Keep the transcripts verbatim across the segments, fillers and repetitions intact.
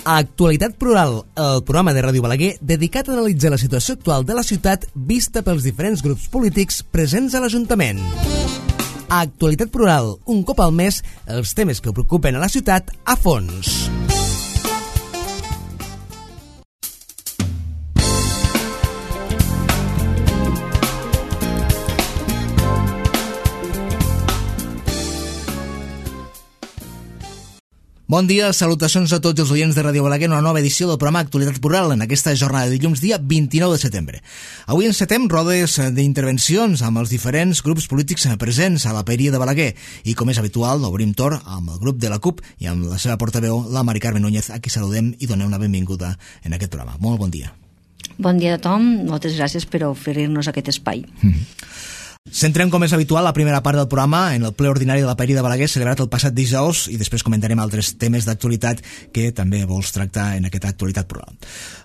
Actualitat Plural, el programa de Ràdio Balaguer dedicat a analitzar la situació actual de la ciutat vista pels diferents grups polítics presents a l'Ajuntament. Actualitat Plural, un cop al mes, els temes que preocupen a la ciutat a fons. Bon dia, salutacions a tots els oients de Ràdio Balaguer en una nova edició del programa Actualitat Plural en aquesta jornada de dilluns dia vint-i-nou de setembre. Avui encetem rodes d'intervencions amb els diferents grups polítics presents a la Paeria de Balaguer i, com és habitual, obrim torn amb el grup de la CUP i amb la seva portaveu, la Mari Carmen Núñez, a qui saludem i donem la benvinguda en aquest programa. Molt bon dia. Bon dia a tothom, moltes gràcies per oferir-nos aquest espai. Mm-hmm. Centrem, com és habitual, la primera part del programa en el ple ordinari de la Paeria de Balaguer celebrat el passat dijous i després comentarem altres temes d'actualitat que també vols tractar en aquesta actualitat plural.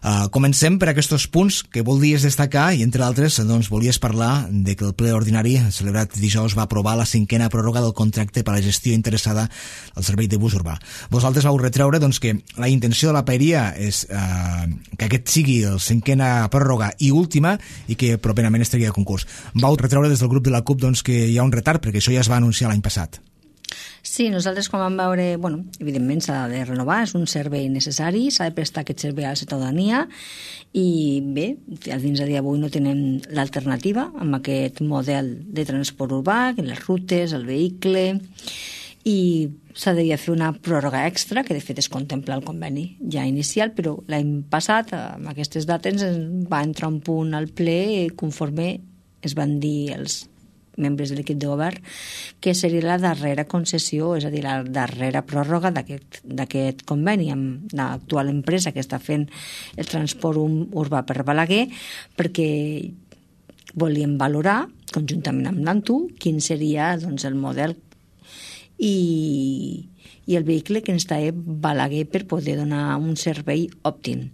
Uh, comencem per aquests punts que voldries destacar i, entre altres, doncs, volies parlar de que el ple ordinari celebrat dijous va aprovar la cinquena pròrroga del contracte per a la gestió interessada al servei de bus urbà. Vosaltres vau retreure doncs, que la intenció de la Paeria és uh, que aquest sigui la cinquena pròrroga i última i que properament estigui a concurs. Vau retreure des del grup de la CUP doncs, que hi ha un retard, perquè això ja es va anunciar l'any passat. Sí, nosaltres quan vam veure, bueno, evidentment s'ha de renovar, és un servei necessari, s'ha de prestar aquest servei a la ciutadania i bé, fins a dia d'avui no tenem l'alternativa amb aquest model de transport urbà, les rutes, el vehicle, i s'ha de fer una pròrroga extra, que de fet es contempla el conveni ja inicial, però l'any passat, amb aquestes dates, va entrar un punt al ple conforme es van dir els membres de l'equip de govern que seria la darrera concessió, és a dir, la darrera pròrroga d'aquest conveni amb l'actual empresa que està fent el transport urbà per Balaguer, perquè volíem valorar, conjuntament amb l'Antu, quin seria doncs, el model i, i el vehicle que ens té Balaguer per poder donar un servei òptim.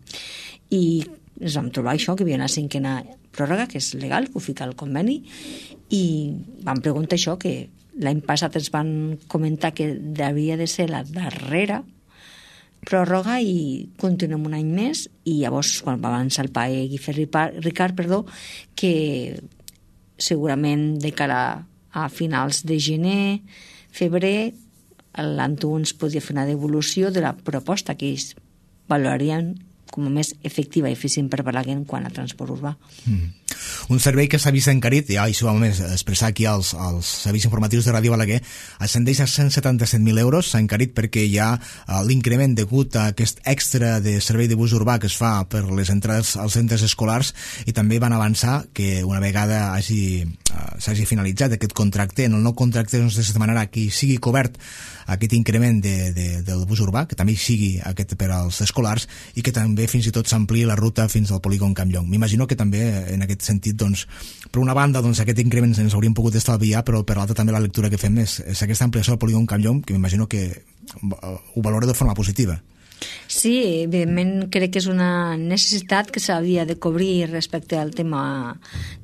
I ens vam trobar això, que hi havia una cinquena pròrroga, que és legal, que ho fica al conveni, i vam preguntar això, que l'any passat ens van comentar que havia de ser la darrera pròrroga i continuem un any més, i llavors quan va avançar el PAE Guifé Ricard, perdó, que segurament de cara a finals de gener, febrer, l'Antu ens podia fer una devolució de la proposta que ells valorarien com a més efectiva i eficient per Balaguer quant a transport urbà. Mm. Un servei que s'ha vist encarit, ja això ho vam expressar aquí als, als serveis informatius de Ràdio Balaguer, ascendeix a cent setanta-set mil euros, s'ha encarit perquè hi ha uh, l'increment degut a aquest extra de servei de bus urbà que es fa per les entrades als centres escolars, i també van avançar que una vegada hagi, uh, s'hagi finalitzat aquest contracte, en el nou contracte doncs, es demanarà que sigui cobert aquest increment de, de, del bus urbà, que també sigui aquest per als escolars, i que també fins i tot s'ampliï la ruta fins al polígon Camp Llong. M'imagino que també en aquest sentit, doncs, per una banda, doncs, aquest increment ens hauríem pogut estalviar, però per l'altra també la lectura que fem és, és aquesta ampliació del polígon Camp Llong, que m'imagino que ho valora de forma positiva. Sí, evidentment crec que és una necessitat que s'havia de cobrir respecte al tema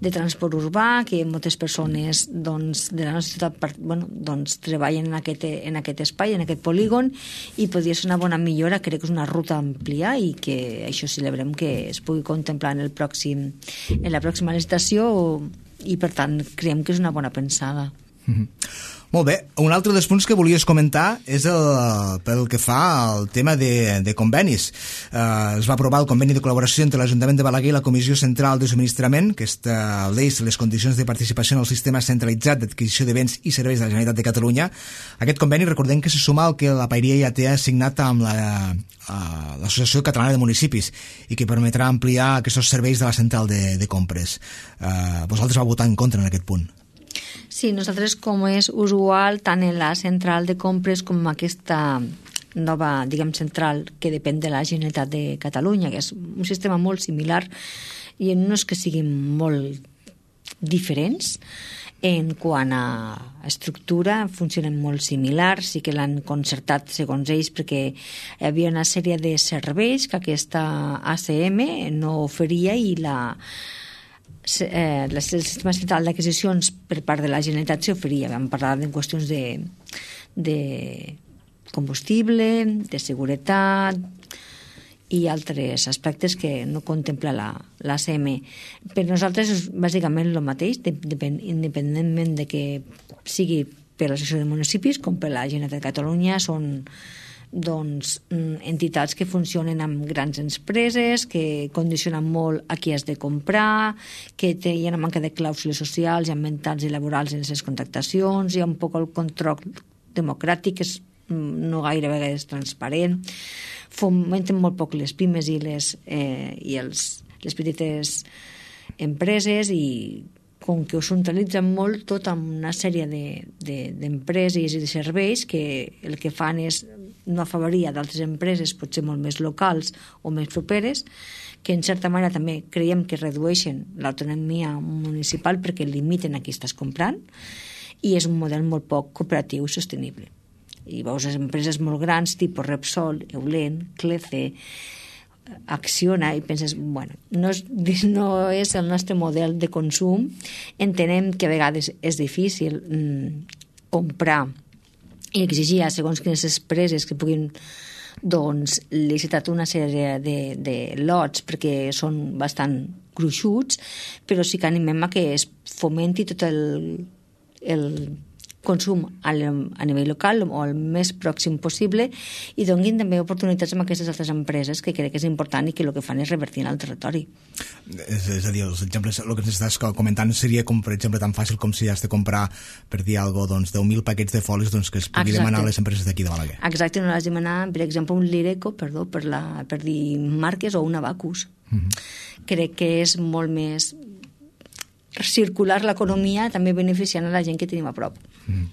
de transport urbà, que moltes persones doncs, de la nostra ciutat bueno, doncs, treballen en aquest, en aquest espai, en aquest polígon, i podria ser una bona millora. Crec que és una ruta àmplia i que això celebrem que es pugui contemplar en, el pròxim, en la pròxima licitació, i per tant creiem que és una bona pensada. Mm-hmm. Molt bé, un altre dels punts que volies comentar és el, pel que fa al tema de, de convenis. Eh, es va aprovar el conveni de col·laboració entre l'Ajuntament de Balaguer i la Comissió Central de Subministrament, que estableix les condicions de participació en el sistema centralitzat d'adquisició de béns i serveis de la Generalitat de Catalunya. Aquest conveni, recordem que se suma al que la Paeria ja té assignat amb la, uh, l'Associació Catalana de Municipis i que permetrà ampliar aquests serveis de la central de, de compres. Eh, vosaltres vau votar en contra en aquest punt. Sí, nosaltres, com és usual, tant en la central de compres com aquesta nova, diguem, central que depèn de la Generalitat de Catalunya, que és un sistema molt similar, i no és que siguin molt diferents en quant a estructura, funcionen molt similars, sí que l'han concertat segons ells perquè hi havia una sèrie de serveis que aquesta A C M no oferia, i la Eh, el sistema central d'adquisicions per part de la Generalitat s'oferia. Vam parlar de qüestions de, de combustible, de seguretat, i altres aspectes que no contempla la, la C M. Per nosaltres és bàsicament el mateix, depèn, independentment de que sigui per l'Associació de Municipis com per la Generalitat de Catalunya, són doncs, entitats que funcionen amb grans empreses, que condicionen molt a qui has de comprar, que té, hi ha una manca de clàusules socials i ambientals i laborals en les contractacions, hi ha un poc el control democràtic, que és no gaire vegades transparent, fomenten molt poc les pimes i les, eh, i els, les petites empreses, i com que ho centralitzen molt tot amb una sèrie d'empreses de, de, i de serveis que el que fan és no afavorir a d'altres empreses potser molt més locals o més properes, que en certa manera també creiem que redueixen l'autonomia municipal perquè limiten a qui estàs comprant, i és un model molt poc cooperatiu i sostenible. I veus les empreses molt grans, tipus Repsol, Eulen, Clece, Acciona, i penses, bueno, no és, no és el nostre model de consum. Entenem que a vegades és difícil mm, comprar i exigir a segons quines empreses que puguin doncs, licitar una sèrie de, de lots perquè són bastant gruixuts, però sí que animem a que es fomenti tot el, el consum a nivell local o el més pròxim possible, i donguin també oportunitats amb aquestes altres empreses, que crec que és important i que el que fan és revertir en el territori. És, és a dir, els exemples, el que ens estàs comentant seria com, per exemple, tan fàcil com si has de comprar, per dir alguna cosa, doncs, deu mil paquets de folis, doncs, que es pugui Exacte. Demanar a les empreses d'aquí de Balaguer. Exacte, no l'has de demanar, per exemple, un Lireco, perdó, per, la, per dir marques, o un Abacus. Mm-hmm. Crec que és molt més circular l'economia, també beneficiant a la gent que tenim a prop. Mm.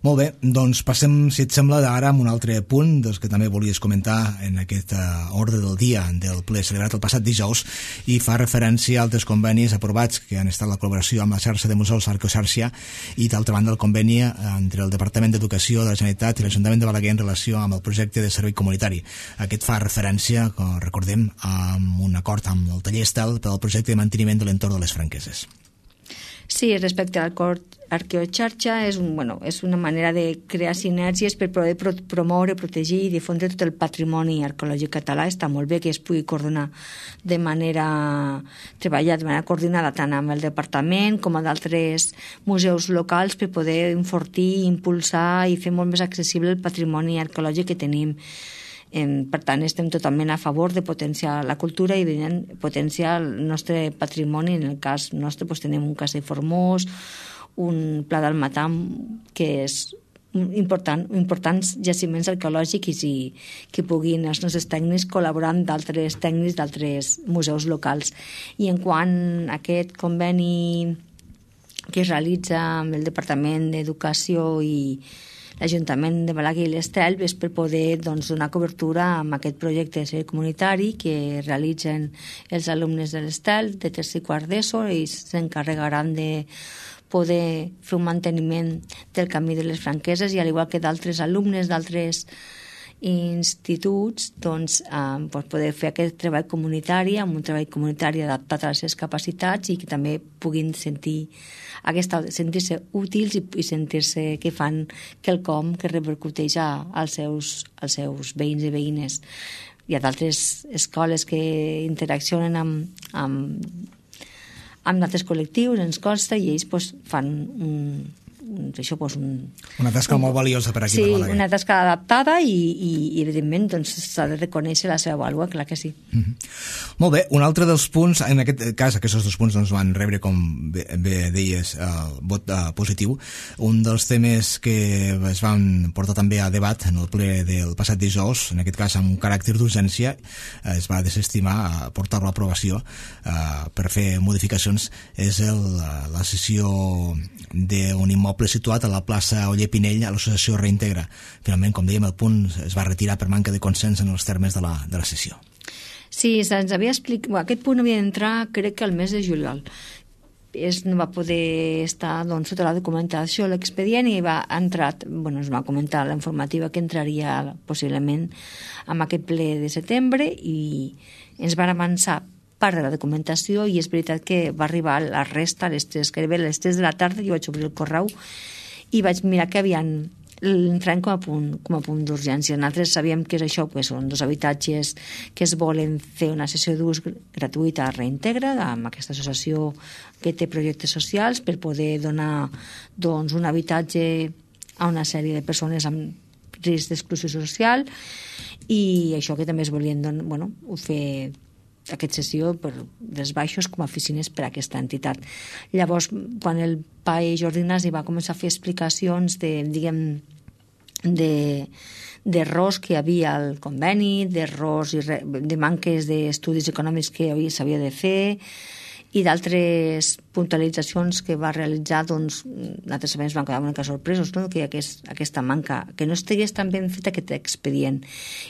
Molt bé, doncs passem, si et sembla, ara amb un altre punt dels que també volies comentar en aquest uh, ordre del dia del ple celebrat el passat dijous, i fa referència a altres convenis aprovats que han estat la col·laboració amb la xarxa de museus Arqueoxàrcia, i d'altra banda el conveni entre el Departament d'Educació de la Generalitat i l'Ajuntament de Balaguer en relació amb el projecte de servei comunitari. Aquest fa referència, com recordem, a un acord amb el taller Estel per al projecte de manteniment de l'entorn de les Franqueses. Sí, respecte al acord Arqueoxàrcia, és, un, bueno, és una manera de crear sinergies per poder pro promoure, protegir i difondre tot el patrimoni arqueològic català. Està molt bé que es pugui coordinar de manera, treballar de manera coordinada tant amb el departament com amb d'altres museus locals per poder enfortir, impulsar i fer molt més accessible el patrimoni arqueològic que tenim. Per tant, estem totalment a favor de potenciar la cultura i potenciar el nostre patrimoni. En el cas nostre doncs, tenim un castell formós, un pla del Matam, que és important, importants jaciments arqueològics, i que puguin els nostres tècnics col·laborar amb d'altres tècnics d'altres museus locals. I en quant a aquest conveni que es realitza amb el Departament d'Educació i l'Ajuntament de Balaguer i l'Estel, és per poder doncs, donar cobertura amb aquest projecte de servei comunitari que realitzen els alumnes de l'Estel de tercer i quart d'ESO, i s'encarregaran de poder fer un manteniment del camí de les Franqueses, i al igual que d'altres alumnes d'altres instituts, doncs, eh, doncs poder fer aquest treball comunitari, amb un treball comunitari adaptat a les seves capacitats, i que també puguin sentir aquesta, sentir-se útils i, i sentir-se que fan quelcom que repercuteix a, als, seus, als seus veïns i veïnes. Hi ha d'altres escoles que interaccionen amb, amb, amb d'altres col·lectius, ens consta, i ells doncs, fan un, això, doncs, un, una tasca un, molt valiosa per aquí, sí, per Balaguer. Una tasca adaptada, i, i, i evidentment doncs, s'ha de reconèixer la seva vàlua, clar que sí. Mm-hmm. Molt bé, un altre dels punts, en aquest cas aquests dos punts doncs, van rebre, com bé, bé deies, uh, vot uh, positiu. Un dels temes que es van portar també a debat en el ple del passat dijous, en aquest cas amb un caràcter d'urgència, uh, es va desestimar a portar-lo a aprovació uh, per fer modificacions, és el, uh, la sessió d'un immoble situat a la plaça Oller Pinell a l'associació Reintegra. Finalment, com dèiem, el punt es va retirar per manca de consens en els termes de la, de la sessió. Sí, se'ns havia explicat... Bueno, aquest punt havia d'entrar, crec que al mes de juliol. Es no va poder estar doncs, sota la documentació l'expedient, i va entrar, bueno, es va comentar la informativa que entraria possiblement amb aquest ple de setembre, i ens van avançar part de la documentació, i és veritat que va arribar a la resta, a les tres, que a les tres de la tarda jo vaig obrir el correu i vaig mirar que havien l'entrem com a punt, com a punt d'urgència. Nosaltres sabíem que és això, que són dos habitatges que es volen fer una sessió d'ús gratuïta a Reintegra, amb aquesta associació que té projectes socials, per poder donar doncs, un habitatge a una sèrie de persones amb risc d'exclusió social, i això que també es volien don, bueno, fer aquesta sessió per dels baixos com a oficines per a aquesta entitat. Llavors, quan el pai Jordi Ignasi va començar a fer explicacions de, diguem, de d'errors que hi havia al conveni, d'errors i re, de manques d'estudis econòmics que s'havia de fer, i d'altres puntualitzacions que va realitzar, doncs, nosaltres també ens vam quedar una mica sorpresos, no?, que aquest, aquesta manca, que no estigués tan ben fet aquest expedient.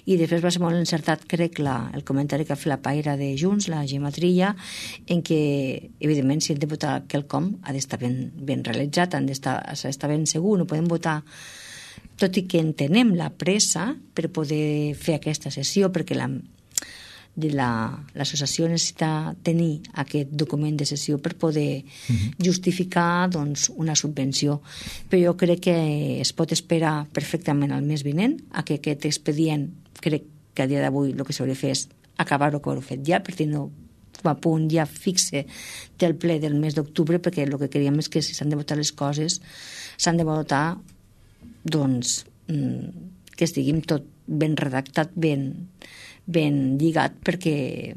I després va ser molt encertat, crec, la, el comentari que ha fet la paira de Junts, la Gemma Trilla, en què, evidentment, si hem de votar quelcom, ha d'estar ben, ben realitzat, han d'estar, s'ha d'estar ben segur, no podem votar, tot i que entenem la pressa per poder fer aquesta sessió, perquè la de l'associació la, necessita tenir aquest document de sessió per poder uh-huh. justificar doncs, una subvenció. Però jo crec que es pot esperar perfectament al mes vinent a que aquest expedient, crec que a dia d'avui el que s'hauria de fer és acabar-ho que ho fet ja, per tenir com a punt ja fixe del ple del mes d'octubre, perquè el que creiem és que si s'han de votar les coses s'han de votar doncs que estiguin tot ben redactat, ben ben lligat, perquè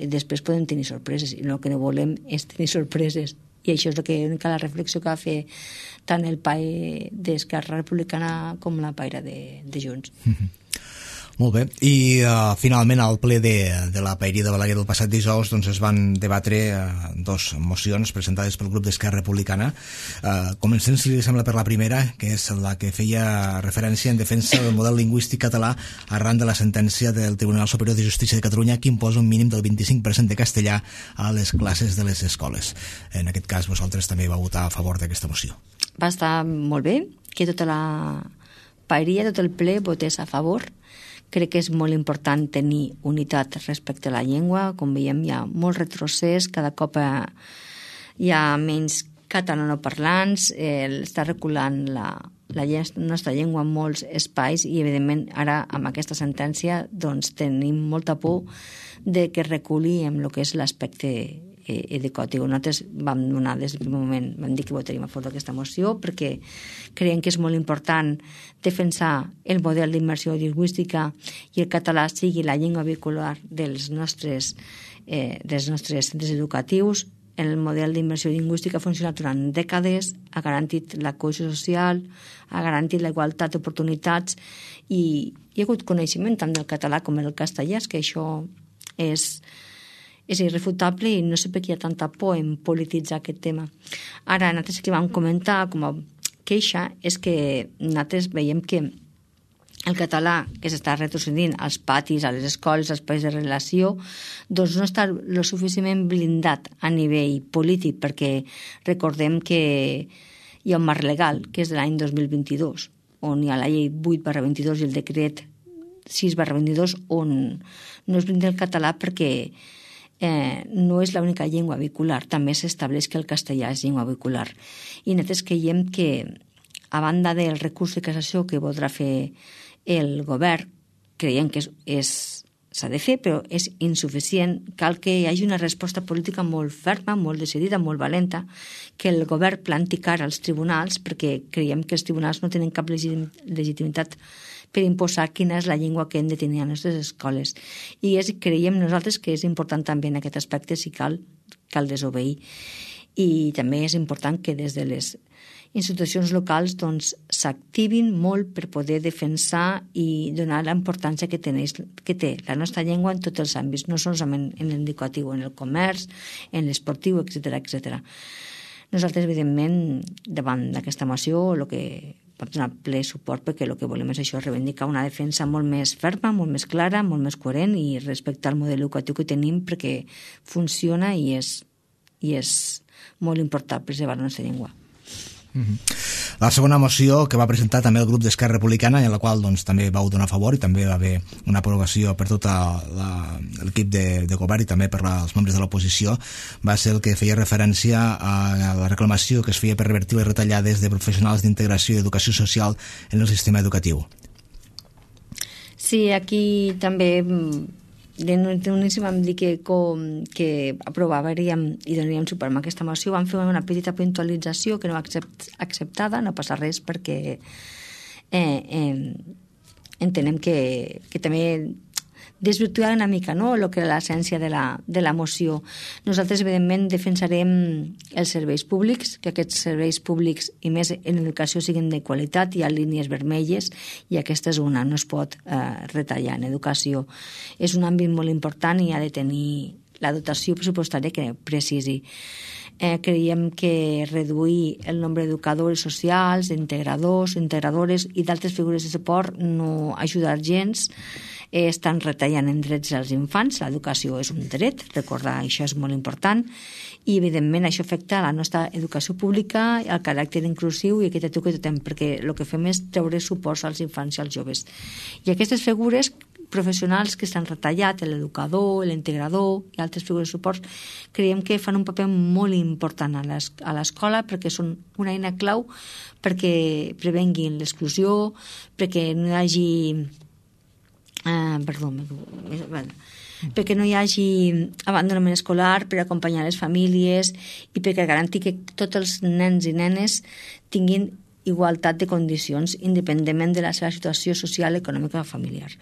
després podem tenir sorpreses, i el que no volem és tenir sorpreses, i això és el que, la reflexió que va fer tant el pai d'Esquerra Republicana com la paira de, de Junts. Mm-hmm. Molt bé, i uh, finalment al ple de, de la Paeria de Balaguer del passat dijous doncs es van debatre uh, dos mocions presentades pel grup d'Esquerra Republicana. Uh, comencem, si li sembla, per la primera, que és la que feia referència en defensa del model lingüístic català arran de la sentència del Tribunal Superior de Justícia de Catalunya, que imposa un mínim del vint-i-cinc per cent de castellà a les classes de les escoles. En aquest cas, vosaltres també vau votar a favor d'aquesta moció. Va estar molt bé que tota la Paeria, tot el ple, votés a favor. Crec que és molt important tenir unitat respecte a la llengua. Com veiem, hi ha molt retrocés, cada cop hi ha menys catalanoparlants, eh, està reculant la, la nostra llengua en molts espais, i evidentment ara amb aquesta sentència doncs, tenim molta por de que reculi en el que és l'aspecte educatiu. Nosaltres vam donar des del primer moment, vam dir que votaríem a favor d'aquesta moció perquè creiem que és molt important defensar el model d'immersió lingüística i el català sigui la llengua vehicular dels nostres, eh, dels nostres centres educatius. El model d'immersió lingüística ha funcionat durant dècades, ha garantit la cohesió social, ha garantit la igualtat d'oportunitats, i hi ha hagut coneixement tant del català com del castellà, que això és és irrefutable, i no sé per què hi ha tanta por en polititzar aquest tema. Ara, nosaltres que vam comentar com a queixa és que nosaltres veiem que el català que s'està retrocedint als patis, a les escoles, als espais de relació, doncs no està lo suficientment blindat a nivell polític, perquè recordem que hi ha un marc legal, que és de l'any dos mil vint-i-dos, on hi ha la llei vuit barra vint-i-dos i el decret sis barra vint-i-dos, on no es blinda el català perquè Eh, no és l'única llengua vehicular, també s'estableix que el castellà és llengua vehicular. I nosaltres creiem que, a banda del recurs de cassació que voldrà fer el govern, creiem que és, és, s'ha de fer, però és insuficient. Cal que hi hagi una resposta política molt ferma, molt decidida, molt valenta, que el govern planti cara als tribunals, perquè creiem que els tribunals no tenen cap legitimitat per imposar quina és la llengua que hem de tenir a les nostres escoles. I és, creiem nosaltres que és important també en aquest aspecte, si cal, cal desobeir. I també és important que des de les institucions locals doncs, s'activin molt per poder defensar i donar la importància que, teneix, que té la nostra llengua en tots els àmbits, no solament en l'educatiu, en el comerç, en l'esportiu, etcètera, etcètera. Nosaltres, evidentment, davant d'aquesta moció, el que vam donar ple suport, perquè el que volem és això, reivindicar una defensa molt més ferma, molt més clara, molt més coherent, i respectar el model educatiu que tenim, perquè funciona i és, i és molt important preservar la nostra llengua. Mm-hmm. La segona moció que va presentar també el grup d'Esquerra Republicana, en la qual doncs, també vau donar a favor i també va haver una aprovació per tot l'equip de, de govern i també per la, els membres de l'oposició, va ser el que feia referència a la reclamació que es feia per revertir les retallades de professionals d'integració i educació social en el sistema educatiu. Sí, aquí també d'uníssim vam dir que, com, que aprovaríem i donaríem suport a aquesta moció. Vam fer una petita puntualització que no va accept, acceptada, no passa res perquè eh, eh, entenem que, que també desvirtuar una mica, no?, el que és l'essència de, la, de la moció. Nosaltres, evidentment, defensarem els serveis públics, que aquests serveis públics, i més en educació, siguin de qualitat. Hi ha línies vermelles i aquesta és una, no es pot eh, retallar en educació. És un àmbit molt important i ha de tenir la dotació pressupostària que precisi. Eh, creiem que reduir el nombre d'educadors socials, d'integradors, integradores i d'altres figures de suport no ajuda gens. Eh, estan retallant en drets als infants. L'educació és un dret, recordar això és molt important, i evidentment això afecta la nostra educació pública, el caràcter inclusiu i equitatiu que totem, perquè el que fem és treure suports als infants i als joves. I aquestes figures professionals que s'han retallat, l'educador, l'integrador i altres figures de suport, creiem que fan un paper molt important a l'escola perquè són una eina clau perquè prevenguin l'exclusió, perquè no hi hagi Uh, perdó, bueno, perquè no hi hagi abandonament escolar, per acompanyar les famílies i perquè garantir que tots els nens i nenes tinguin igualtat de condicions independentment de la seva situació social, econòmica o familiar.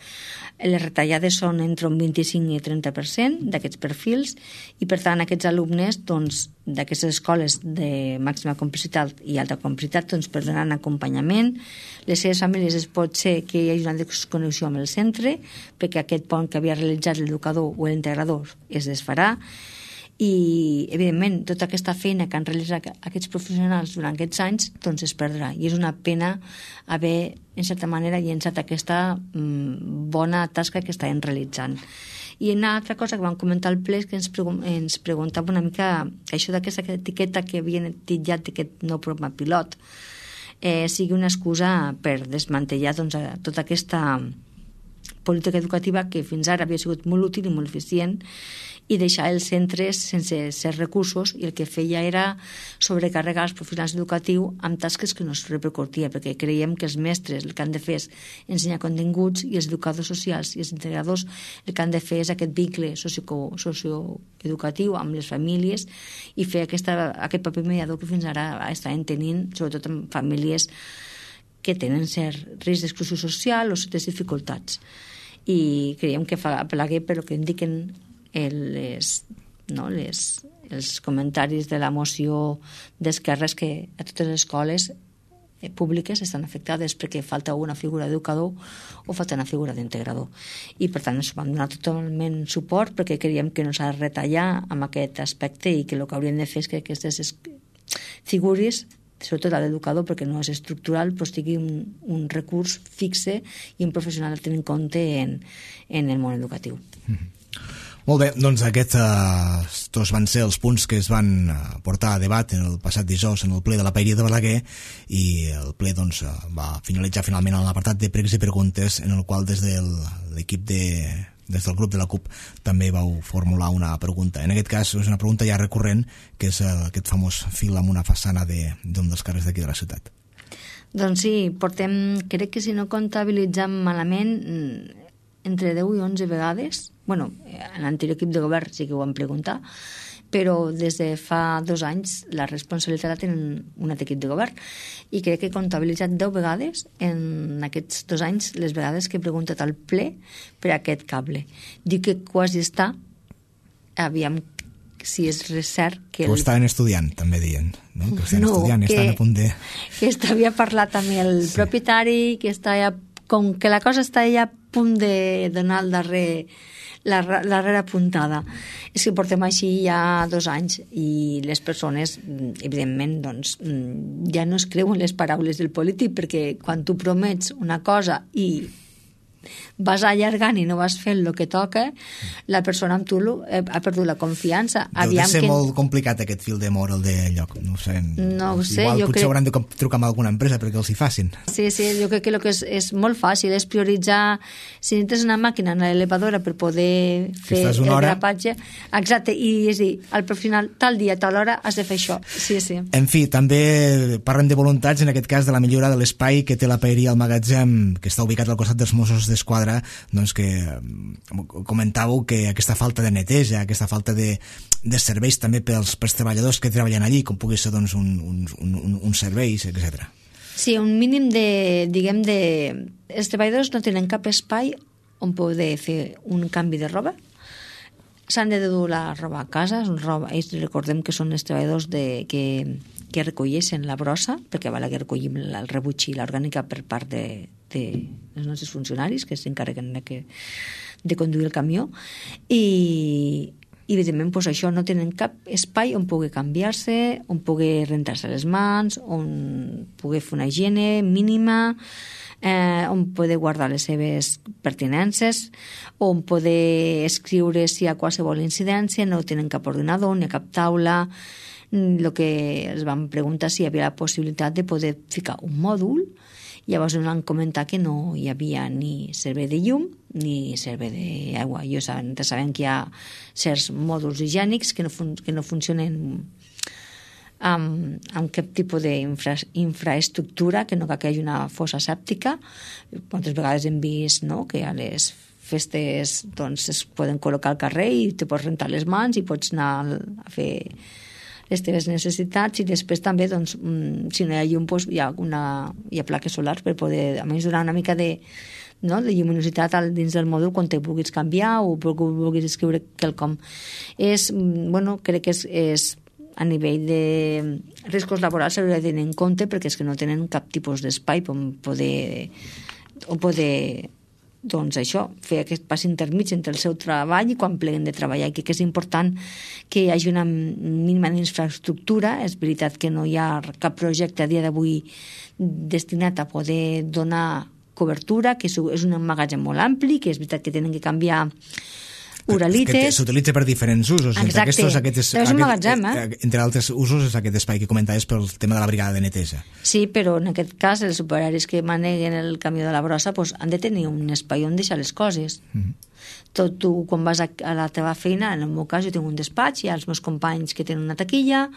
Les retallades són entre un vint-i-cinc i trenta per cent d'aquests perfils i, per tant, aquests alumnes doncs, d'aquestes escoles de màxima complexitat i alta complexitat doncs, perdran acompanyament. Les seves famílies es pot ser que hi hagi una desconnexió amb el centre perquè aquest pont que havia realitzat l'educador o l'integrador es desfarà. I, evidentment, tota aquesta feina que han realitzat aquests professionals durant aquests anys doncs es perdrà. I és una pena haver, en certa manera, llençat aquesta mm, bona tasca que estaven realitzant. I una altra cosa que vam comentar al ple és que ens, pregun ens preguntava una mica que això d'aquesta etiqueta que havien titllat d'aquest nou programa pilot eh, sigui una excusa per desmantellar doncs, tota aquesta política educativa que fins ara havia sigut molt útil i molt eficient i deixar els centres sense certs recursos, i el que feia era sobrecarregar els professionals educatius amb tasques que no es repercutia, perquè creiem que els mestres el que han de fer és ensenyar continguts i els educadors socials i els integradors el que han de fer és aquest vincle socioeducatiu amb les famílies i fer aquesta, aquest paper mediador que fins ara estaven tenint, sobretot amb famílies que tenen cert risc d'exclusió social o certes dificultats. I creiem que fa apel·laguer per el que indiquen les, no, les, els comentaris de la moció d'esquerres que a totes les escoles públiques estan afectades perquè falta una figura d'educador o falta una figura d'integrador. I per tant ens vam donar totalment suport perquè creiem que no s'ha de retallar amb aquest aspecte i que el que hauríem de fer és que aquestes figures, sobretot l'educador perquè no és estructural, però tingui un, un recurs fixe i un professional a tenir en compte en, en el món educatiu. Mm-hmm. Molt bé, doncs aquests uh, van ser els punts que es van uh, portar a debat en el passat dijous en el ple de la Paeria de Balaguer, i el ple doncs, uh, va finalitzar finalment en l'apartat de pregs i preguntes, en el qual des de l'equip de des del grup de la CUP també vau formular una pregunta. En aquest cas és una pregunta ja recurrent, que és uh, aquest famós fil amb una façana d'un dels carrers d'aquí de la ciutat. Doncs sí, portem, crec que si no comptabilitzem malament, entre deu i onze vegades. Bueno, en l'anterior equip de govern sí que ho vam preguntar, però des de fa dos anys la responsabilitat la tenen un altre equip de govern, i crec que he comptabilitzat deu vegades en aquests dos anys les vegades que he preguntat al ple per aquest cable. Dic que quasi està, aviam si és cert que... Que ho estaven estudiant, també deien, no? Que ho estaven no, estudiant i estan a punt de... Que havia parlat amb el sí. propietari, que estava, com que la cosa està ja a punt de donar el darrer, la, la darrera puntada. És que portem així ja dos anys i les persones, evidentment, doncs, ja no es creuen les paraules del polític, perquè quan tu promets una cosa i vas allargant i no vas fent el que toca, la persona amb tu ha perdut la confiança. Deu de ser que... molt complicat aquest fil d'amor, el de lloc. No ho sé. No ho sé. Igual jo potser crec... hauran de trucar amb alguna empresa perquè els hi facin. Sí, sí, jo crec que el que és, és molt fàcil és prioritzar, si necessites una màquina en l'elevadora per poder fer el hora... grapatge, exacte, i és dir, al final, tal dia, tal hora, has de fer això. Sí, sí. En fi, també parlem de voluntats, en aquest cas de la millora de l'espai que té la paeria al magatzem, que està ubicat al costat dels Mossos d'Esquadra, doncs que comentàveu que aquesta falta de neteja, aquesta falta de, de serveis també pels, pels treballadors que treballen allí, com pugui ser doncs, un, un, un, un serveis, etcètera. Sí, un mínim de, diguem, de... Els treballadors no tenen cap espai on poder fer un canvi de roba. S'han de dur la roba a casa, roba, ells recordem que són els treballadors de, que, que recolleixen la brossa, perquè val que recollim el rebuig i l'orgànica per part de, de els nostres funcionaris que s'encarreguen de, que, de conduir el camió, i, i evidentment pues, això no tenen cap espai on pugui canviar-se, on pugui rentar-se les mans, on pugui fer una higiene mínima, eh, on poder guardar les seves pertinences, on poder escriure si hi ha qualsevol incidència, no tenen cap ordinador ni cap taula. El que es van preguntar si hi havia la possibilitat de poder ficar un mòdul, llavors ens van comentar que no hi havia ni servei de llum ni servei d'aigua. Jo saben, sabem que hi ha certs mòduls higiènics que no, fun que no funcionen amb, amb cap tipus d'infraestructura, que no cal que hi hagi una fossa sèptica. Moltes vegades hem vist, no?, que a les festes doncs, es poden col·locar al carrer i te pots rentar les mans i pots anar a fer les teves necessitats, i després també, doncs, si no hi ha llum, doncs, hi ha, una, hi ha plaques solars per poder, a més, donar una mica de, no, de lluminositat dins del mòdul quan te vulguis canviar o vulguis escriure quelcom. És, bueno, crec que és, és a nivell de riscos laborals s'hauria de tenir en compte, perquè és que no tenen cap tipus d'espai on poder, on poder doncs això, fer aquest pas intermig entre el seu treball i quan pleguen de treballar, i que és important que hi hagi una mínima infraestructura. És veritat que no hi ha cap projecte a dia d'avui destinat a poder donar cobertura, que és un magatzem molt ampli, que és veritat que tenen que canviar uralites. S'utilitza per diferents usos. Exacte, aquests, aquests, és un magatzem, eh? Entre altres usos és aquest espai que comentaves pel tema de la brigada de neteja. Sí, però en aquest cas els operaris que maneguen el camió de la brossa pues, han de tenir un espai on deixar les coses. Mm-hmm. Tot tu, quan vas a, a la teva feina, en el meu cas jo tinc un despatx, hi ha els meus companys que tenen una taquilla,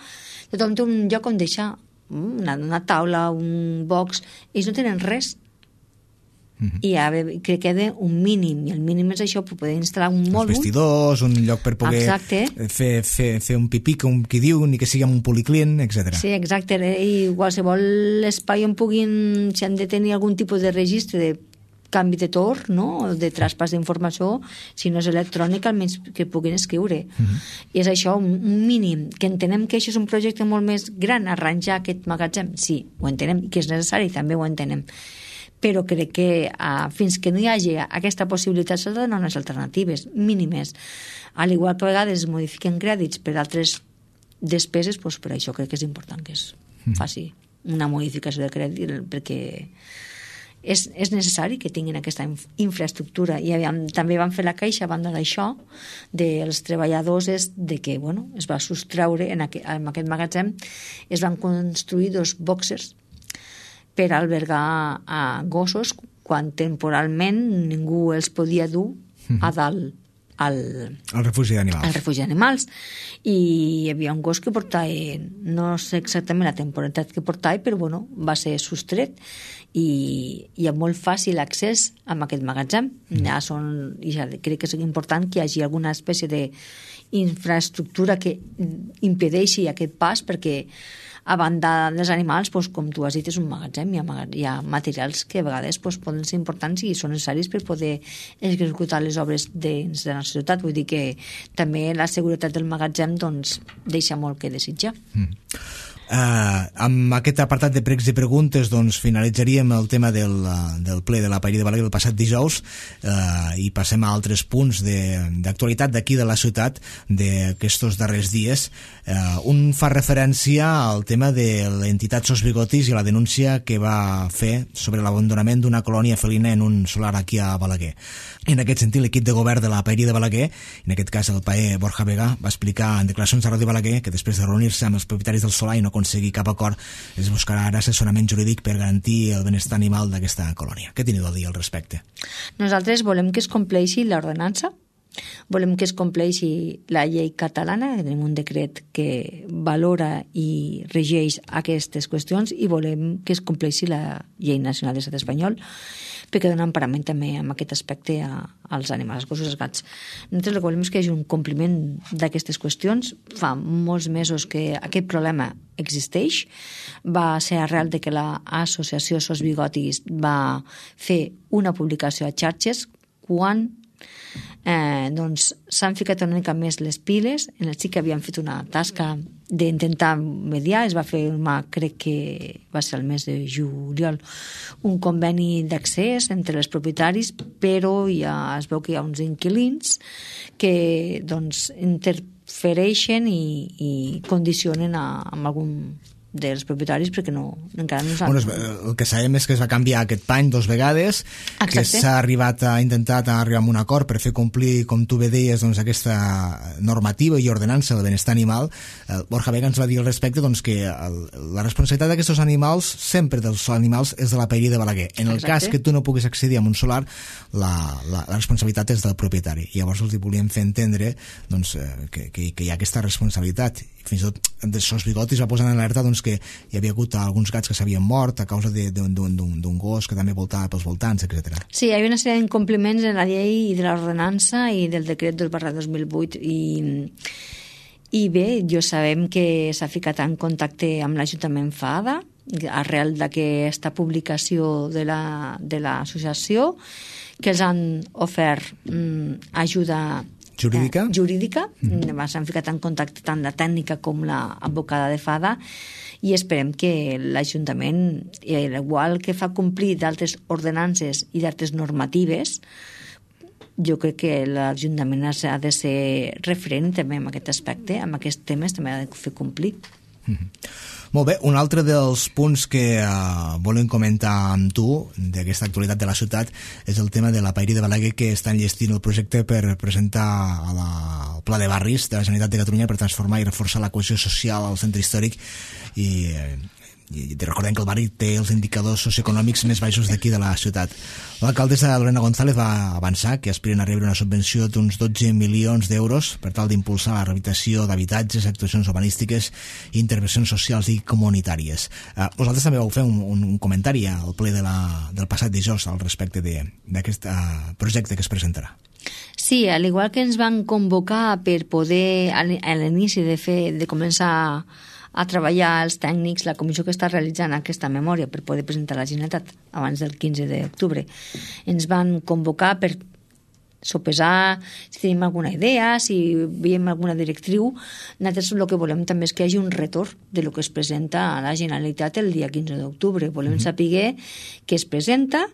tothom té un lloc on deixar una, una taula, un box, ells no tenen res. Uh-huh. I ja, crec que queda un mínim, i el mínim és això, per poder instal·lar un mòdul, els vestidors, un lloc per poder fer, fer, fer un pipí, com qui diu, ni que sigui amb un policlient, etcètera. Sí, exacte, i qualsevol espai on puguin, si han de tenir algun tipus de registre de canvi de torn, no?, de traspàs d'informació, si no és electrònic, almenys que puguin escriure. Uh-huh. I és això, un, un mínim, que entenem que això és un projecte molt més gran, arranjar aquest magatzem, sí, ho entenem, que és necessari, també ho entenem, però crec que uh, fins que no hi hagi aquesta possibilitat s'ha de donar unes alternatives mínimes, al igual que a vegades es modifiquen crèdits per altres despeses, doncs per això crec que és important que es faci una modificació de crèdit, perquè és, és necessari que tinguin aquesta infraestructura. I aviam, també van fer la queixa a banda d'això dels treballadors, és de que bueno, es va sostreure en, aqu en aquest magatzem, es van construir dos boxers per albergar a gossos quan temporalment ningú els podia dur a dalt al, al refugi d'animals. Al refugi d'animals. I hi havia un gos que portava, no sé exactament la temporalitat que portava, però bueno, va ser sostret i hi ha molt fàcil accés a aquest magatzem. Mm. Ja són, ja crec que és important que hi hagi alguna espècie d'infraestructura que impedeixi aquest pas, perquè a banda dels animals, doncs, com tu has dit, és un magatzem, hi ha, hi ha materials que a vegades doncs, poden ser importants i són necessaris per poder executar les obres dins de la ciutat. Vull dir que també la seguretat del magatzem doncs, deixa molt que desitjar. Mm. Uh, amb aquest apartat de pregs i preguntes doncs finalitzaríem el tema del, del ple de la Paeria de Balaguer del passat dijous uh, i passem a altres punts d'actualitat d'aquí de la ciutat d'aquests darrers dies. Uh, un fa referència al tema de l'entitat Sos Bigotis i la denúncia que va fer sobre l'abandonament d'una colònia felina en un solar aquí a Balaguer. En aquest sentit, l'equip de govern de la Paeria de Balaguer, en aquest cas el paer Borja Vega, va explicar en declaracions a Ràdio Balaguer que després de reunir-se amb els propietaris del solar i no aconseguir cap acord, es buscarà ara assessorament jurídic per garantir el benestar animal d'aquesta colònia. Què teniu a dir al respecte? Nosaltres volem que es compleixi l'ordenança, volem que es compleixi la llei catalana, tenim un decret que valora i regeix aquestes qüestions, i volem que es compleixi la llei nacional de l'estat espanyol, perquè dona emparament també en aquest aspecte a, als animals, als gossos i als gats. Nosaltres el que volem és que hi hagi un compliment d'aquestes qüestions. Fa molts mesos que aquest problema existeix. Va ser arrel de que l'associació Sos Bigotis va fer una publicació a xarxes quan eh, doncs s'han ficat una mica més les piles. En el sí que havien fet una tasca d'intentar mediar, es va fer, crec que va ser el mes de juliol, un conveni d'accés entre els propietaris, però ja es veu que hi ha uns inquilins que doncs interfereixen i, i condicionen a, amb algun dels propietaris perquè no, encara no s'ha... Bueno, el que sabem és que es va canviar aquest pany dos vegades. Exacte. Que s'ha arribat a intentat a arribar a un acord per fer complir, com tu bé deies, doncs, aquesta normativa i ordenança del benestar animal. El Borja Vega ens va dir al respecte doncs, que el, la responsabilitat d'aquests animals, sempre dels animals, és de la Paeria de Balaguer. En el Exacte. Cas que tu no puguis accedir a un solar, la, la, la responsabilitat és del propietari. I llavors els volíem fer entendre doncs, que, que, que hi ha aquesta responsabilitat. Fins i tot de Sos Bigotis va posar en alerta doncs, que hi havia hagut alguns gats que s'havien mort a causa d'un gos que també voltava pels voltants, etcètera. Sí, hi havia una sèrie d'incompliments en la llei i de l'ordenança i del decret dos barra dos mil vuit i, i bé, jo sabem que s'ha ficat en contacte amb l'Ajuntament Fada arrel d'aquesta publicació de l'associació la, que els han ofert mm, ajuda jurídica, eh, jurídica. Mm-hmm. S'han ficat en contacte tant la tècnica com l'advocada de Fada i esperem que l'Ajuntament, igual que fa complir d'altres ordenances i d'altres normatives, jo crec que l'Ajuntament ha de ser referent també en aquest aspecte, en aquests temes també ha de fer complir. Mm-hmm. Molt bé, un altre dels punts que uh, volem comentar amb tu d'aquesta actualitat de la ciutat és el tema de la Paeria de Balaguer, que està enllestint el projecte per presentar a la, el Pla de Barris de la Generalitat de Catalunya per transformar i reforçar la cohesió social al centre històric i... Eh, i recordem que el barri té els indicadors socioeconòmics més baixos d'aquí de la ciutat. L'alcaldessa Lorena González va avançar que aspiren a rebre una subvenció d'uns dotze milions d'euros per tal d'impulsar la rehabilitació d'habitatges, actuacions urbanístiques i intervencions socials i comunitàries. Eh, vosaltres també vau fer un, un comentari al ple de la, del passat dijous al respecte d'aquest uh, projecte que es presentarà. Sí, al igual que ens van convocar per poder a l'inici de fer de començar a treballar els tècnics, la comissió que està realitzant aquesta memòria per poder presentar la Generalitat abans del quinze d'octubre. Ens van convocar per sopesar si tenim alguna idea, si veiem alguna directriu. Nosaltres el que volem també és que hi hagi un retorn de lo que es presenta a la Generalitat el dia quinze d'octubre. Volem mm-hmm. saber què es presenta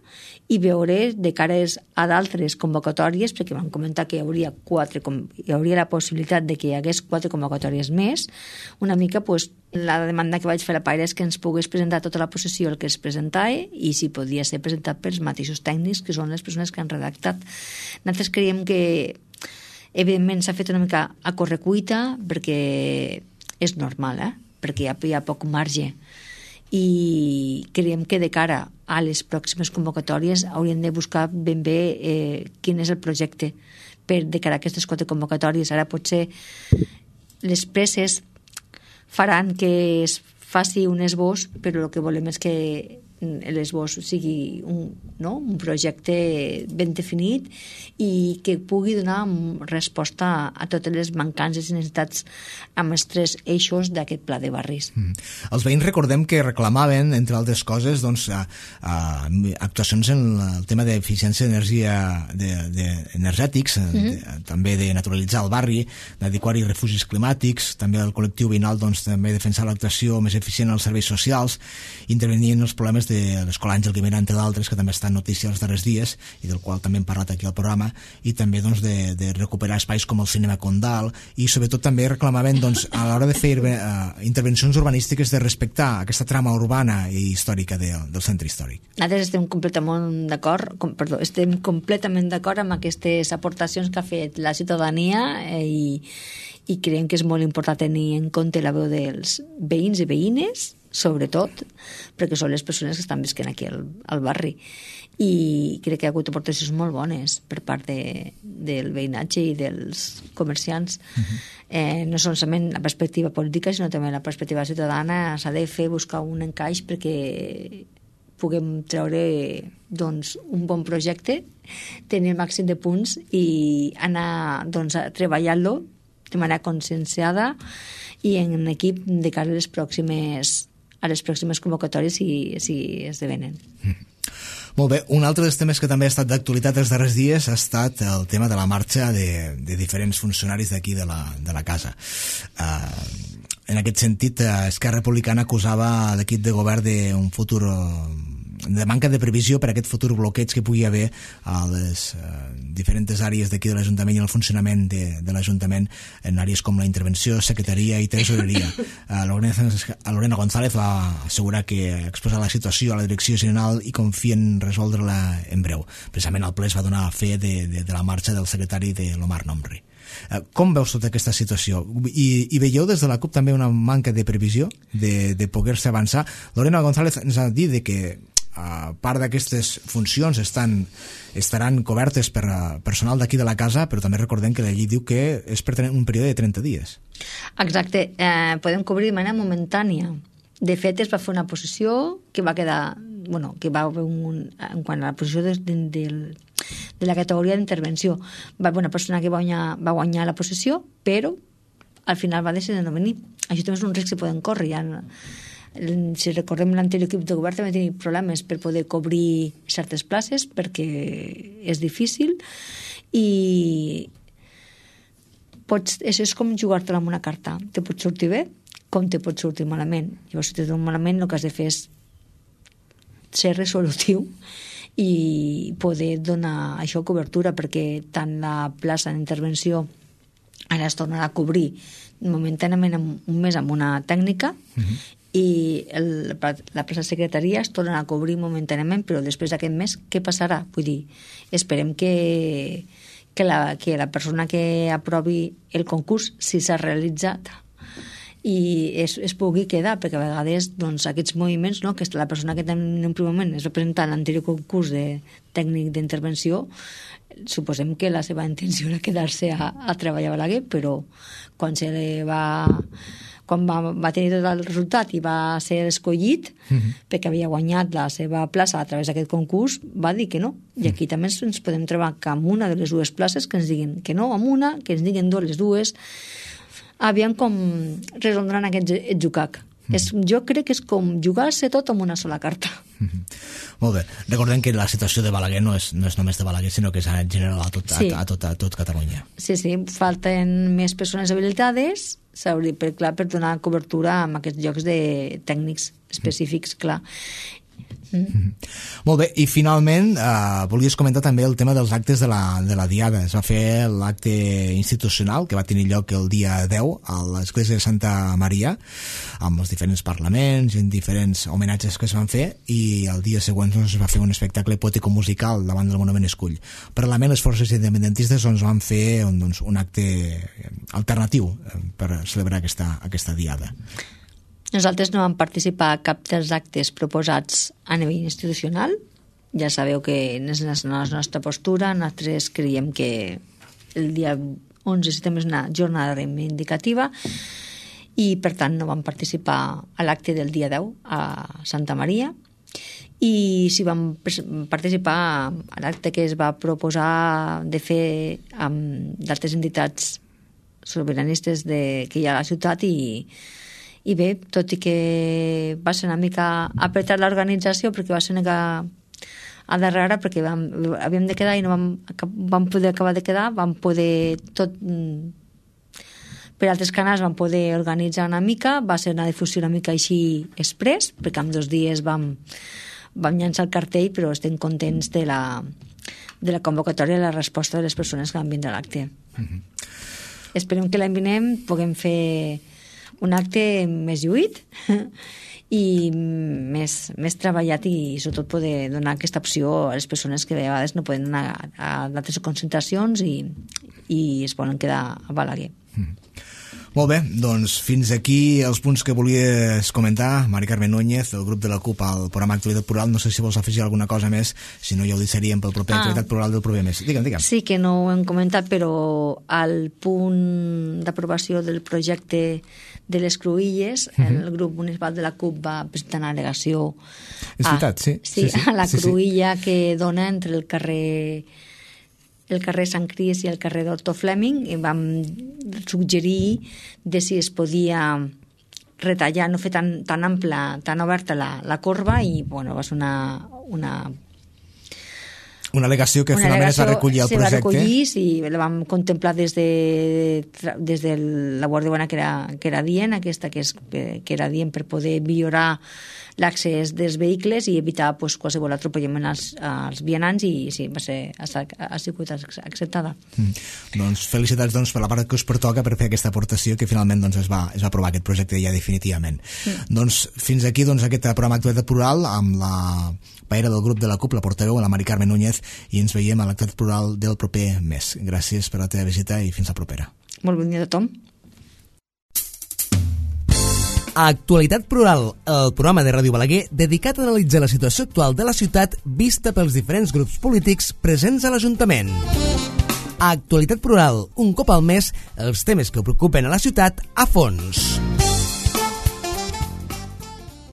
i veure de cara a d'altres convocatòries, perquè van comentar que hi hauria quatre, hi hauria la possibilitat de que hi hagués quatre convocatòries més. Una mica, pues, la demanda que vaig fer a la Paeria és que ens pogués presentar tota la possessió el que es presentava i si podia ser presentat pels mateixos tècnics, que són les persones que han redactat. Nosaltres creiem que, evidentment, s'ha fet una mica a correcuita, perquè és normal, eh? Perquè hi ha, hi ha poc marge. I creiem que de cara a les pròximes convocatòries hauríem de buscar ben bé eh, quin és el projecte per de cara a aquestes quatre convocatòries. Ara potser les presses faran que es faci un esbós, però el que volem és que l'esbós sigui un, no? un projecte ben definit i que pugui donar resposta a totes les mancances i necessitats amb els tres eixos d'aquest pla de barris. Mm. Els veïns recordem que reclamaven, entre altres coses, doncs, a, a, actuacions en el tema d'eficiència d'energia de, de, energètics, mm-hmm. de, també de naturalitzar el barri, d'adequar-hi refugis climàtics, també el col·lectiu veïnal doncs, també defensar l'actuació més eficient als serveis socials, intervenir en els problemes de l'Escola Àngel Guimerà, entre d'altres, que també està en notícia els darrers dies i del qual també hem parlat aquí al programa, i també doncs, de, de recuperar espais com el cinema Condal, i sobretot també reclamaven doncs, a l'hora de fer uh, intervencions urbanístiques de respectar aquesta trama urbana i històrica de, del centre històric. Nosaltres estem completament d'acord, com, perdó, estem completament d'acord amb aquestes aportacions que ha fet la ciutadania eh, i, i creiem que és molt important tenir en compte la veu dels veïns i veïnes, sobretot, perquè són les persones que estan visquent aquí al, al barri. I crec que ha hagut aportacions molt bones per part de, del veïnatge i dels comerciants. Uh-huh. eh, no solament la perspectiva política, sinó també la perspectiva ciutadana. S'ha de fer, buscar un encaix perquè puguem treure doncs, un bon projecte, tenir el màxim de punts i anar doncs, treballant-lo de manera conscienciada i en equip de cara a les pròximes a les pròximes convocatòries si, si esdevenen. Mm. Molt bé, un altre dels temes que també ha estat d'actualitat els darrers dies ha estat el tema de la marxa de, de diferents funcionaris d'aquí de, la, de la casa. Uh, en aquest sentit, Esquerra Republicana acusava l'equip de govern d'un futur de manca de previsió per a aquest futur bloqueig que pugui haver a les uh, diferents àrees d'aquí de l'Ajuntament i el funcionament de, de l'Ajuntament en àrees com la intervenció, secretaria i tresoreria. Uh, Lorena González va assegurar que exposar la situació a la direcció general i confia en resoldre-la en breu. Precisament el ple es va donar fe de, de, de la marxa del secretari de l'Omar Nomri. Uh, com veus tota aquesta situació? I, i veieu des de la CUP també una manca de previsió de, de poder-se avançar? Lorena González ens ha dit de que a part d'aquestes funcions estan, estaran cobertes per personal d'aquí de la casa, però també recordem que la llei diu que és per un període de trenta dies. Exacte, eh, podem cobrir de manera momentània. De fet, es va fer una posició que va quedar, bueno, que va haver un, en quant a la posició de, de, de, de la categoria d'intervenció, va haver una persona que va guanyar, va guanyar la posició, però al final va decidir no venir. Això també és un risc que poden córrer, ja si recordem l'anterior equip de govern també tenia problemes per poder cobrir certes places perquè és difícil i pots, això és com jugar-te-la amb una carta, te pot sortir bé com te pot sortir malament. Llavors si te surt malament el que has de fer és ser resolutiu i poder donar això cobertura, perquè tant la plaça d'intervenció ara es tornarà a cobrir momentàniament un mes amb una tècnica uh-huh. i el, la plaça de secretaria es torna a cobrir momentàniament, però després d'aquest mes què passarà? Vull dir, esperem que, que, la, que la persona que aprovi el concurs, si s'ha realitzat i es, es pugui quedar, perquè a vegades doncs, aquests moviments, no, que la persona que en un primer moment es va presentar en l'anterior concurs de tècnic d'intervenció, suposem que la seva intenció era quedar-se a, a treballar a Balaguer, però quan se li va quan va, va tenir tot el resultat i va ser escollit uh-huh. perquè havia guanyat la seva plaça a través d'aquest concurs, va dir que no. I aquí uh-huh. també ens podem trobar que amb una de les dues places que ens diguin que no, amb una, que ens diguin dues, les dues, aviam com resoldran aquest etzucac. Mm. És, jo crec que és com jugar-se tot amb una sola carta. Mm-hmm. Molt bé. Recordem que la situació de Balaguer no és, no és només de Balaguer, sinó que és en general a tot, sí. a, a, tot, a tot Catalunya. Sí, sí, falten més persones habilitades per, clar, per donar cobertura a aquests llocs de tècnics específics, mm. clar. Mm. Mm-hmm. Molt bé, i finalment eh, volies comentar també el tema dels actes de la, de la Diada. Es va fer l'acte institucional que va tenir lloc el dia deu a l'església de Santa Maria amb els diferents parlaments i diferents homenatges que es van fer, i el dia següent doncs, es va fer un espectacle poètico-musical davant del Monument Escull. Paral·lelament les forces independentistes doncs, van fer doncs, un acte alternatiu per celebrar aquesta, aquesta Diada. Nosaltres no vam participar a cap dels actes proposats a nivell institucional. Ja sabeu que és la nostra postura. Nosaltres creiem que el dia onze de setembre és una jornada reivindicativa i, per tant, no vam participar a l'acte del dia deu a Santa Maria. i s'hi van participar a l'acte que es va proposar de fer amb d'altres entitats sobiranistes de, que hi ha a la ciutat i, i bé, tot i que va ser una mica apretar l'organització perquè va ser una mica a darrere perquè vam, havíem de quedar i no vam, vam poder acabar de quedar, vam poder tot per altres canals vam poder organitzar una mica, va ser una difusió una mica així express, perquè en dos dies vam, vam llançar el cartell, però estem contents de la, de la convocatòria i la resposta de les persones que van vindre a l'acte. Mm-hmm. Esperem que l'any vinent puguem fer un acte més lluït i més, més treballat i sobretot poder donar aquesta opció a les persones que a vegades no poden anar a d'altres concentracions i, i es poden quedar a Balaguer. Mm. Molt bé, doncs fins aquí els punts que volies comentar, Mari Carmen Núñez, del grup de la CUP al programa Actualitat Plural. No sé si vols afegir alguna cosa més, si no ja ho deixaríem pel proper ah. Actualitat Plural del proper mes. Digue'm, digue'm. Sí, que no ho hem comentat, però al punt d'aprovació del projecte de les Cruïlles, uh-huh. el grup municipal de la CUP va presentar una al·legació a, veritat, sí, sí, sí, sí, a la sí, cruïlla sí. que dona entre el carrer el carrer Sant Cris i el carrer Doctor Fleming, i vam suggerir de si es podia retallar, no fer tan, tan ampla, tan oberta la, la corba, i bueno, va ser una, una una al·legació que una finalment es va recollir al projecte. Se va recollir i la vam contemplar des de, des de la Guàrdia Urbana que era, que era dient, aquesta que, és, que era dient per poder millorar l'accés dels vehicles i evitar pues, qualsevol atropellament als, als vianants, i sí, va ser, ha, ha sigut acceptada. Mm. Doncs felicitats doncs, per la part que us pertoca per fer aquesta aportació que finalment doncs, es, va, es va aprovar aquest projecte ja definitivament. Mm. Doncs fins aquí doncs, aquest programa Actualitat Plural amb la paera del grup de la CUP, la portaveu, la Mari Carmen Núñez, i ens veiem a l'Actualitat Plural del proper mes. Gràcies per la teva visita i fins la propera. Molt bon dia a tothom. Actualitat Plural, el programa de Ràdio Balaguer dedicat a analitzar la situació actual de la ciutat vista pels diferents grups polítics presents a l'Ajuntament. Actualitat Plural, un cop al mes, els temes que preocupen a la ciutat a fons.